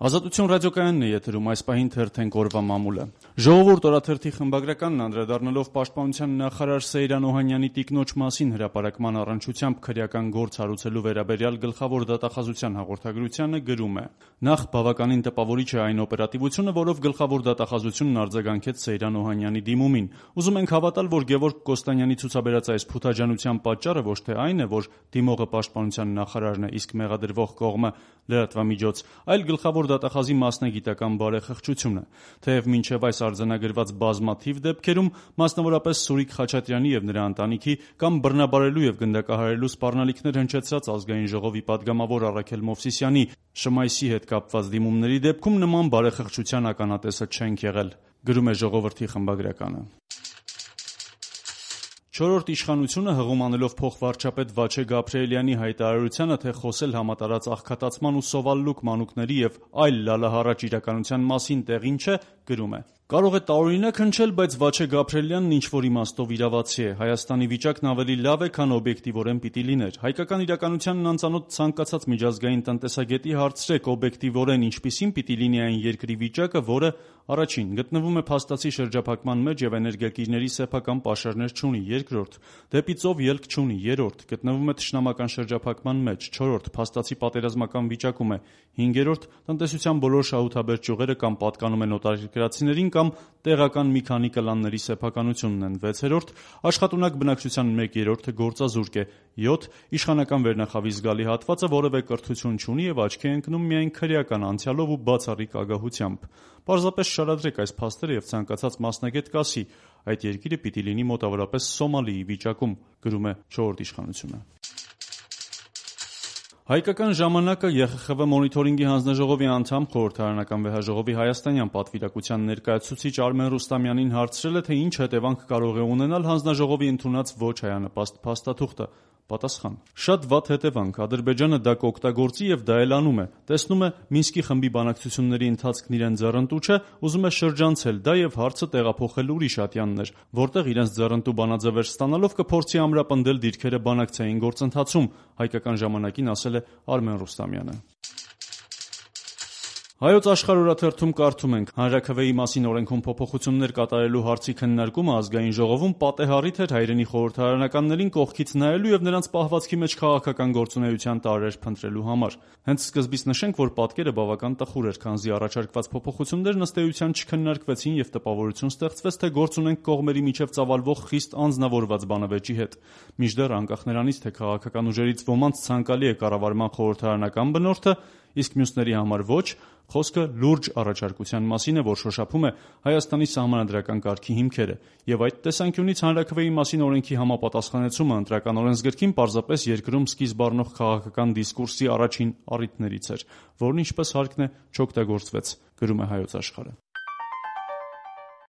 Ազատություն ռադիոկայանն է եթերում, այս պահին թերթենք օրվա մամուլը։ Ժողովուրդ օրաթերթի խմբագրականն անդրադառնալով պաշտպանության նախարար Սեյրան Օհանյանի տիկնոջ մասին հրապարակման առնչությամբ քրեական գործ հարուցելու վերաբերյալ գլխավոր դատախազության հաղորդագրությանը գրում է. Նախ բավականին տպավորիչ է այն օպերատիվությունը, որով գլխավոր դատախազությունն արձագանքեց Սեյրան Օհանյանի դիմումին։ Ուզում ենք հավատալ, որ Գևորգ Կոստանյանի ցուցաբերած այս փութաջանության պատճառը ոչ թե այն է, որ դիմողը պաշտպանության նախարարն է, իսկ մեղադրվող կողմը լրատվամիջոց, այլ գլխավոր դատախազի մասնագիտական բարեխղճությունը։ Թեև մինչև այս արձանագրված բազմաթիվ դեպքերում, մասնավորապես Սուրիկ Խաչատրյանի եւ նրա ընտանիքի կամ բռնաբարելու եւ գնդակահարելու սպառնալիքներ հնչեցրած Ազգային ժողովի падգամավոր Առաքել Մովսիսյանի Շմայսի հետ կապված դիմումների դեպքում նման բարեխղճության ականատեսը չենք եղել, գրում է Ժողովրդի խմբագրականը։ Չորրորդ իշխանությունը հղում անելով փոխվարչապետ Վաչե Գաբրիելյանի հայտարարությանը, թե խոսել համատարած աղքատացման ու սովալլուկ մանուկների եւ այլ լալահառաջ իրականության մասին տեղին չէ, գրում է. Կարող է տարօրինակ հնչել, բայց Վաչե Գաբրիելյանն ինչ-որ իմաստով իրավացի է։ Հայաստանի վիճակն ավելի լավ է, քան օբյեկտիվորեն պիտի լիներ։ Հայկական իրականությանն անծանոթ ցանկացած միջազգային տնտեսագետի հարցրեք օբյեկտիվորեն ինչպիսին պիտի լինի այն երկրի վիճակը, որը առաջին գտնվում է փաստացի շրջափակման մեջ եւ էներգակիրների սեփական պաշարներ չունի, երկրորդ դեպի ծով ելք չունի, երրորդ գտնվում է թշնամական շրջափակման մեջ, չորրորդ փաստացի պատերազմական վիճակում է, հինգերորդ տնտեսության բոլոր շահութաբեր ճյուղերը կամ պատկանում են օտարերկրացիներին կամ տեղական մի քանի կլանների սեփականությունն են, 6-րդ աշխատունակ բնակչության 1/3-ը գործազուրկ է, 7 իշխանական վերնախավի զգալի հատվածը որևէ կրթություն չունի եւ աչքի է ընկնում միայն քրեական անցյալով ու բացառիկ ագահությամբ։ Պարզապես շարադրեք այս փաստերը եւ ցանկացած մասնագետ կասի, այդ երկիրը պիտի լինի մոտավորապես Սոմալիի վիճակում, գրում է Չորրորդ իշխանությունը։ Հայկական ժամանակը ԵԽԽՎ մոնիթորինգի հանձնաժողովի անդամ, խորհրդարանական վեհաժողովի հայաստանյան պատվիրակության ներկայացուցիչ Արմեն Ռուստամյանին հարցրել է, թե ինչ հետևանք կարող է ունենալ հանձնաժողովի ընդունած ոչ հայանպաստ փաստաթուղթը։ Պատասխան. Շատ վատ հետևանք, Ադրբեջանը դա կօգտագործի եւ դա էլ անում է։ Տեսնում է Մինսկի խմբի բանակցությունների ընթացքն իրեն ձեռնտու չէ, ուզում է շրջանցել դա եւ հարցը տեղափոխել ուրիշ ատյաններ, որտեղ իրենց ձեռնտու բանաձևեր ստանալով կփորձի ամրապնդել դիրքերը բանակցային գործընթացում, հայկական ժամանակին ասել է Արմեն Ռուստամյանը։ Հայոց Աշխարհ օրաթերթում կարդում ենք. Հանրաքվեի մասին օրենքում փոփոխություններ կատարելու հարցի քննարկումը Ազգային ժողովում պատեհառիթ էր հայրենի խորհրդարանականներին կողքից նայելու եւ նրանց պահվածքի մեջ քաղաքական գործունեության տարրեր փնտրելու համար։ Հենց սկզբից նշենք, որ պատկերը բավական տխուր էր, քանզի առաջարկված փոփոխություններն ըստ էության չքննարկվեցին եւ տպավորություն ստեղծվեց, թե գործ ունենք կողմերի միջև ծավալվող խիստ անձնավորված բանավեճի հետ։ Մինչդեռ անկախ նրանից, թե քաղաքական ուժերից ոմանց ցանկալի է կառավարման խորհրդարանական բնորդը, իսկ մյուսների համար ոչ, խոսքը լուրջ առաջարկության մասին է, որ շոշափում է Հայաստանի սահմանադրական կարգի հիմքերը, եւ այդ տեսանկյունից հանրաքվեի մասին օրենքի համապատասխանեցումը ընտրական օրենսգրքին պարզապես երկրում սկիզբ առնող քաղաքական դիսկուրսի առաջին առիթներից էր, որն ինչպես հարկն է չօգտագործվեց, գրում է Հայոց Աշխարհը։